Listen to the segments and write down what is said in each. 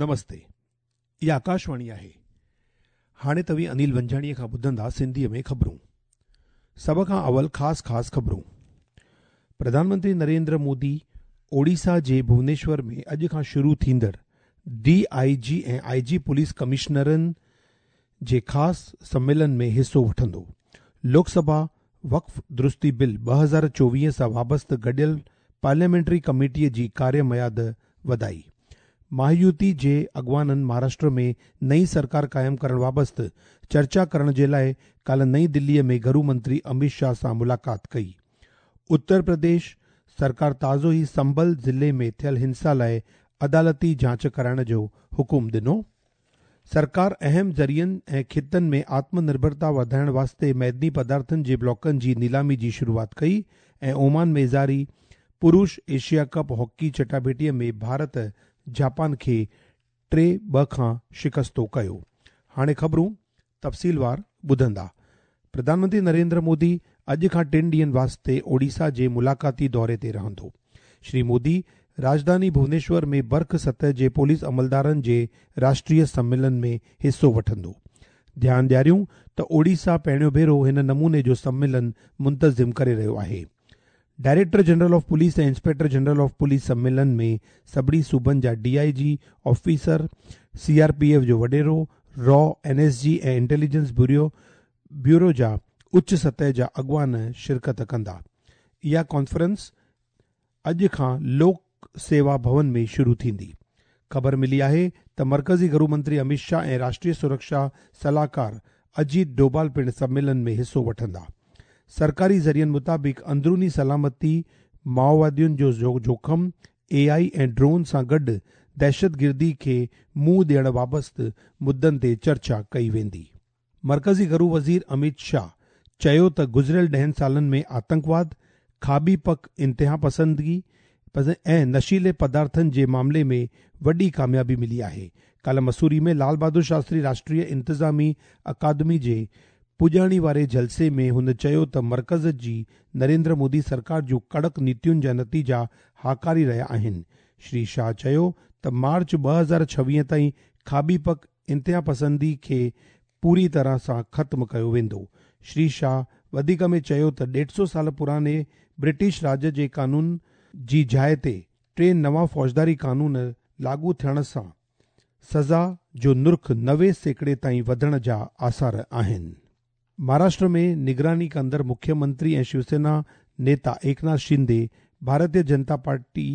نمستي اها آڪاشواڻي آهي. هاڻي توهين انيل ونجهاڻيء کان ٻڌندا سنڌيء ۾ خبرون. سڀ کان اول خاص خاص خبرون. پرڌان منتري نريندر مودي اوڙيسا جي ڀونيشور ۾ اڄ کان شروع ٿيندڙ D I G ۽ I G police ڪمشنرن جي خاص سميلن ۾ حصو وٺندو. لوڪ سڀا وقف درستي بل 2024 سان وابسته گڏيل پارليامينٽري ڪميٽيء جي ڪاريه ميعاد وڌائي. مهايوتي جي اڳواڻن مهاراشٽر ۾ نئين سرڪار قائم ڪرڻ وابسته چرچا ڪرڻ جي لاء ڪالهه نئين دليء ۾ گهرو منتري اميت شاهه سان ملاقات ڪئي. اتر پرديش سرڪار تازو ئي سنڀل ضلعي ۾ ٿيل هنسا لاء عدالتي جاچ ڪرائڻ جو حڪم ڏنو. سرڪار اهم ذريعن ۽ خطن ۾ آتم نرڀرتا وڌائڻ واسطي معدني پدارٿن جي بلاڪن جي نيلامي جي شروعات ڪئي ۽ اومان ۾ جاري پروش ايشيا ڪپ هاڪي چٽاڀيٽيء ۾ ڀارت جاپان کي 3-2 کان شڪستو ڪيو. هاڻي خبرون تفصيلوار ٻڌندا. پرڌان منتري نريندر مودي اڄ کان ٽن ڏينهن واسطي اوڙيسا جي ملاقاتي دوري تي رهندو. شري مودي راڄڌاني ڀونيشور ۾ برک سطح جي پوليس عملدارن جي راشٽريه سميلن ۾ حصو وٺندو. ڌيان ڏياريون ته اوڙيسا پهريون ڀيرو هن نموني جو سميلن منتظم ڪري رهيو آهي. Director general of police ۽ inspector general of police سميلن ۾ سڀني صوبن جا D I G, officer, C R P F جو وڏيرو، را، اين ايس جي ۽ انٽيليجنس بيورو بيورو جا اچ سطح جا اڳواڻ شرڪت ڪندا. اها ڪانفرنس اڄ کان لوڪ سيوا ڀون ۾ شروع ٿيندي. خبر ملي آهي ته مرڪزي گهرو منتري اميت شاهه ۽ راشٽريه سرڪشا صلاحڪار اجيت ڊوڀال پڻ سميلن ۾ حصو وٺندا. سرڪاري ذريعن مطابق اندروني سلامتي، مائووادين جو جوکم، اي آء ۽ ڊرون سان گڏ دهشتگردي کي منهن ڏيڻ وابسته مدن تي چرچا ڪئي ويندي. مرڪزي گهرو وزير اميت شاهه چيو ته گذريل ڏهن سالن ۾ آتنڪواد، کاٻي پک انتهاپسندي ۽ نشيلي پدارٿن جي معاملي ۾ وڏي ڪاميابي ملي آهي. ڪالهه مسوري ۾ لال بهادر شاستري راشٽريه انتظامي اڪادمي جي پڄاڻي واري جلسي ۾ هن چيو ته مرڪز جي نريندر مودي سرڪار جون ڪڙڪ نيتين جا نتيجا هاڪاري رهيا آهن. شري شاهه چيو ته مارچ 2026 تائين کاٻي پک انتهاپسندي کي پوري طرح سان ختم ڪيو ويندو. شري شاهه وڌيڪ ۾ چيو ته ڏيڍ سو سال پراڻي برٽش راڄ جي قانون جي جاء تي ٽي نوان فوجداري قانون لاڳو ٿيڻ سان سزا جو نرخ 90% تائين وڌڻ جا آثار آهن. مهاراشٽر ۾ نگراني ڪندڙ مکيه منتري ۽ شيوسينا نيتا ايڪناٿ شندي، ڀارتيه جنتا پارٽي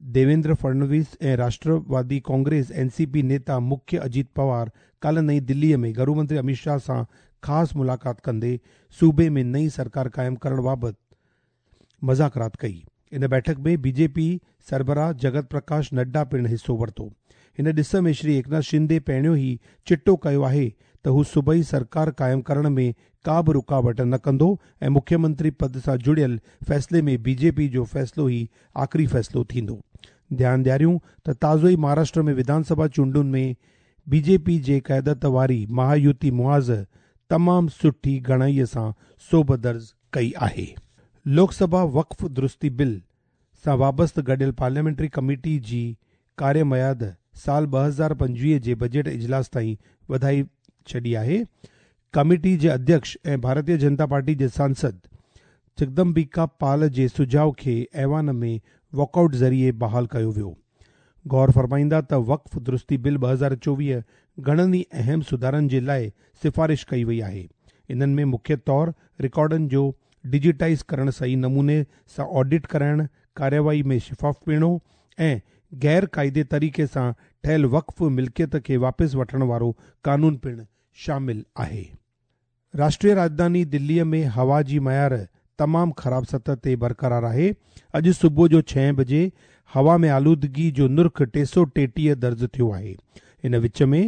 ديويندر فڙنويس ۽ راشٽروادي ڪانگريس اين سي پي نيتا مکيه اجيت پوار ڪالهه نئين دليء ۾ گهرو منتري اميت شاهه سان خاص ملاقات ڪندي صوبي ۾ نئين سرڪار قائم ڪرڻ بابت مذاڪرات ڪئي. ان بيٺڪ ۾ بي جي پي سربراهه جگت پرڪاش نڊا پڻ حصو ورتو. هن ڏس ۾ شري ايڪناٿ شندي پهريون ئي چٽو ڪيو آهي ته هو صوبائي سرڪار قائم ڪرڻ ۾ ڪا به رڪاوٽ نه ڪندو ۽ مکيه منتري پد سان جڙيل فيصلي ۾ بي جي پي جو فيصلو ئي آخري فيصلو ٿيندو. ڌيان ڏياريون ته تازو ئي مهاراشٽر ۾ وڌان سڀا چونڊن ۾ بي جي پي جي قيادت واري مهايوتي محاذ تمام سٺي گهڻائي سان سوڀ درج ڪئي آهي. لوڪ سڀا وقف درستي بل سان وابسته گڏيل پارليامينٽري ڪميٽي جي ڪاريه ميعاد سال 2025 جي بجيٽ اجلاس تائين وڌائي ڇڏي آهي. ڪميٽي جي اڌيڪش ۽ ڀارتيه جنتا پارٽي جي سانسد جگدمبيڪا پال جي سجهاء کي ايوان ۾ واڪ آئوٽ ذريعي بحال ڪيو ويو. غور فرمائيندا ته وقف درستي بل 2024 گهڻن ئي اهم سڌارن جي لاء سفارش ڪئي وئي آهي. انهن ۾ مکيه طور رڪارڊن جو ڊجيٽائيز ڪرڻ صحيح نموني سان آڊٽ ڪرائڻ، ڪارروائي ۾ شفافپيڻو ۽ غير قاعدي طريقي سان ٺهيل وقف ملڪيت کي واپس وٺڻ وارو قانون پڻ شامل آهي. راشٽريه راڄڌاني دليء ۾ هوا جي معيار تمام خراب سطح تي برقرار آهي. اڄ صبح جو ڇهين بجي هوا ۾ آلودگي جو نرخ 333 درج ٿيو آهي. ان وچ ۾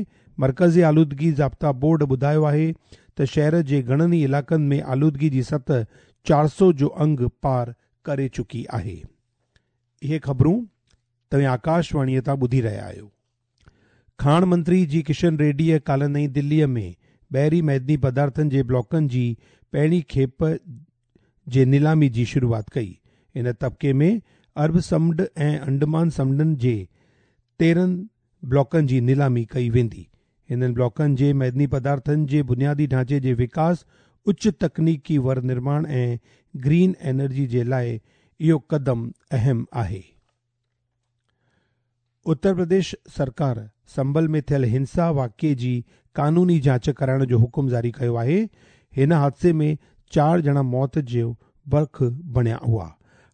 مرڪزي آلودگي ضابطا بورڊ ٻڌايو آهي ته شهر جي گهڻن ئي علائقن ۾ آلودگي جي سطح 400 جو انگ پار ڪري چڪي آهي. اهي خبرون توهين آڪاشواڻيء تان ٻڌي رهيا آهيو. کاڻ منتري جي ڪشن ريڊيء ڪالهه نئين دليء ۾ بحري معدني پدارٿن جي بلاڪن جي پهرين کيپ جي نيلامي جي شروعات ڪئي. ان طبقي ۾ عرب سمنڊ ۽ انڊمان سمنڊن جي 13 بلاڪن جي نيلامي ڪئي ويندي. هنن بلاڪن جي معدني پدارٿن جي بنيادي ڍانچي جي وڪاس، اچ تڪنيڪي ور نرماڻ ۽ گرين انرجي جي لاء اهو قدم اهم آهي. اتر پرديش سرڪار سنڀل ۾ ٿيل هنسا واقعي جي قانوني جاچ ڪرائڻ جو حڪم جاري ڪيو آهي. هن حادثي ۾ چار ڄڻا موت جو بک بڻيا هئا.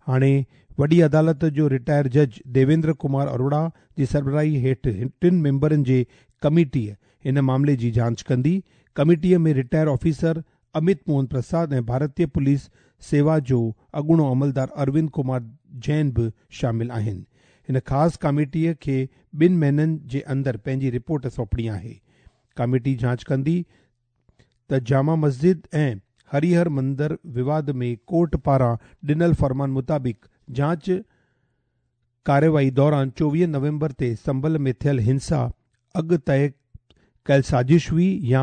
هاڻي وڏي عدالت جو رٽائر جج ديويندر ڪمار اروڙا جي سربراهي هيٺ ٽن ميمبرن جي ڪميٽي هن معاملي جي جاچ ڪندي. ڪميٽيء ۾ رٽائر آفيسر امت موهن پرساد ۽ ڀارتيه پوليس سيوا جو اڳوڻو عملدار اروند ڪمار جين به شامل آهن. هن خاص ڪاميٽيء کي ٻن مهينن جي اندر پنهنجي رپورٽ سونپڻي آهي. ڪاميٽي جاچ ڪندي ته جامع مسجد ۽ هريهر مندر وواد ۾ ڪورٽ پاران ڏنل فرمان مطابق جاچ ڪارروائي دوران 24 نومبر تي سنڀل ۾ ٿيل هنسا اڳ طئي ڪيل سازش هئي يا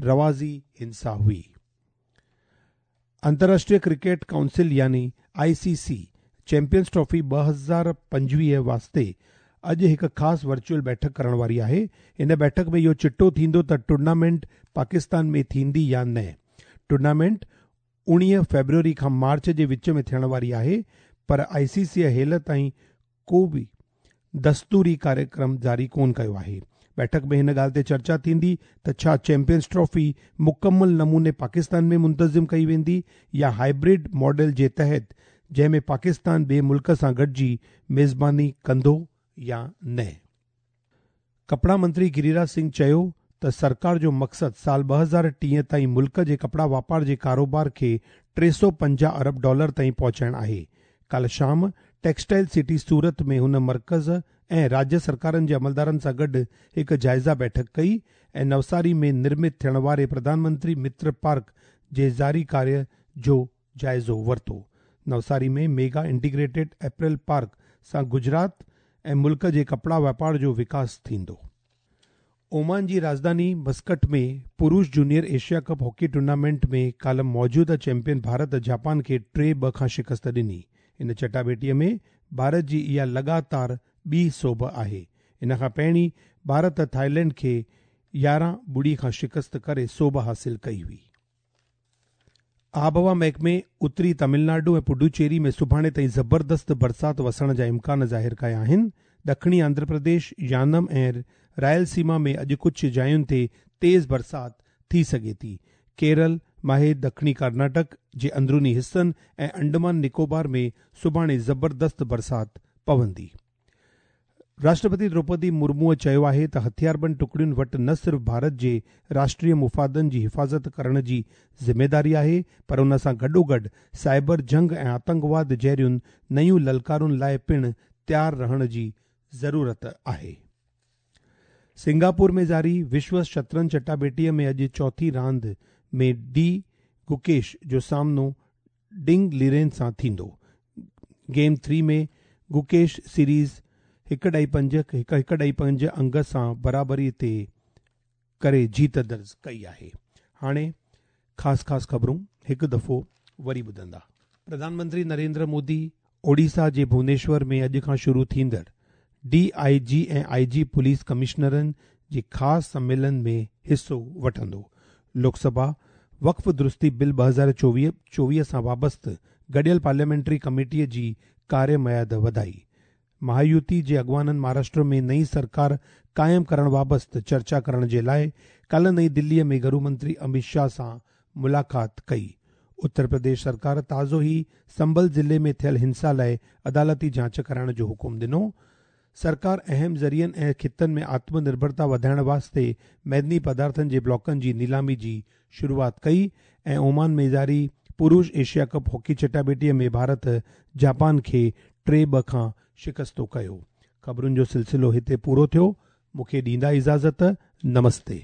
رواجي هنسا هئي. انترراشٽريه ڪرڪيٽ ڪائونسل يعني I C C champions trophy 2025 واسطي اڄ هڪ خاص ورچوئل بيٺڪ ڪرڻ واري آهي. ان بيٺڪ ۾ اهو چٽو ٿيندو ته ٽورنامينٽ پاڪستان ۾ ٿيندي يا نه. ٽورنامينٽ 19 فيبروري کان مارچ جي وچ ۾ ٿيڻ واري آهي پر آء سي سيء هيل تائين ڪو به دستوري ڪاريڪرم جاري ڪونه ڪيو آهي. بيٺڪ ۾ هن ڳالهه تي چرچا ٿيندي ته ڇا چيمپيئنز ٽرافي مڪمل نموني پاڪستان ۾ منتظم ڪئي ويندي يا هائبرڊ ماڊل جي تحت جنهن ۾ پاڪستان ٻئي ملڪ سان گڏجي ميزباني ڪندو يا نه. ڪپڙا منتري گريراج سنگهه چيو ته سرڪار جو مقصد سال 2030 تائين ملڪ جي ڪپڙا واپار جي ڪاروبار کي 350 ارب ڊالر تائين پهچائڻ آهي. ڪالهه شام ٽيڪسٽائل سٽي سورت ۾ هن مرڪز ۽ راجيه سرڪارن جي عملدارن سان گڏ هڪ جائزه بيٺڪ ڪئي ۽ نوساري ۾ نرمت ٿيڻ واري پرڌان منتري متر پارڪ جي جاري ڪاريه جو جائزو ورتو. نوساري ۾ ميگا انٽيگريٽيڊ اپيرل پارڪ سان گجرات ۽ ملڪ جي ڪپڙا واپار جو وڪاس ٿيندو. اومان جي راڄڌاني Muscat ۾ پروش junior Asia cup hockey tournament ۾ ڪالهه موجوده چيمپيئن ڀارت جاپان کي 3-2 کان شڪست ڏني. ان چٽاڀيٽيء ۾ ڀارت جي اها لڳاتار ٻي سوڀ آهي. ان کان پهرين ڀارت ٿائيلينڊ کي 11-0 کان شڪست ڪري سوڀ حاصل ڪئي هئي. آبهوا محڪمي اتري تامل ناڊو ۽ پڊوچيري ۾ سڀاڻي تائين زبردست برسات وسڻ جا امڪان ظاهر ڪيا آهن. ڏکڻي آنڌرا پرديش، يانم ۽ رائل سيما ۾ اڄ ڪجهه جاين تي تيز برسات ٿي سگهي ٿي. ڪيرل، ماهي، ڏکڻي ڪرناٽڪ جي اندروني حصن ۽ انڊمان نڪوبار ۾ سڀاڻي زبردست برسات پوندي. راشٽرپتي دروپدي مرموء چيو آهي ته هٿياربند ٽڪڙين وٽ نه صرف ڀارت جي راشٽريه مفادن جي حفاظت ڪرڻ جي ذميداري آهي پر ان سان گڏوگڏ سائبر جنگ ۽ آتنڪواد جهڙين نيون للڪارن لاء پڻ تيار رهڻ جي ضرورت آهي. سنگاپور ۾ جاري وشو شطرنج چٽاڀيٽيء ۾ اڄ چوٿين راند ۾ ڊي گوڪيش جو سامنو ڊنگ ليرين سان ٿيندو. گيم ٿري ۾ گوڪيش سيريز 1.5 1 1.5 انگ سان برابري تي ڪري جيت درج ڪئي آهي. هاڻي خاص خاص خبرون هڪ دفعو وري ٻڌندا. پرڌان منتري نريندر مودي اوڊيسا جي ڀونيشور ۾ اڄ کان شروع ٿيندڙ D I G ۽ I G police ڪمشنرن جي خاص سميلن ۾ حصو وٺندو. لوڪ سڀا وقف درستي بل 2024 سان وابسته گڏيل پارليامينٽري ڪميٽيء جي ڪاريه ميعاد وڌائي. مهايوتي جي اڳواڻن مهاراشٽر ۾ نئين سرڪار قائم ڪرڻ وابسته چرچا ڪرڻ جي لاء ڪالهه نئين دليء ۾ گهرو منتري امت شاهه سان ملاقات ڪئي. اتر پرديش سرڪار تازو ئي سنڀل ضلعي ۾ ٿيل هنسا لاء عدالتي جاچ ڪرائڻ جو حڪم ڏنو. سرڪار اهم ذريعن ۽ خطن ۾ آتم نرڀرتا وڌائڻ واسطي معدني پدارٿن جي بلاڪن جي نيلامي جي شروعات ڪئي ۽ اومان ۾ جاري پروش ايشيا ڪپ هاڪي چٽاڀيٽيء ۾ ڀارت جاپان کي 3-2 کان شڪستو ڪيو. خبرن جو سلسلو هتي پورو ٿيو. مون کي ڏيندا اجازت. نمستي.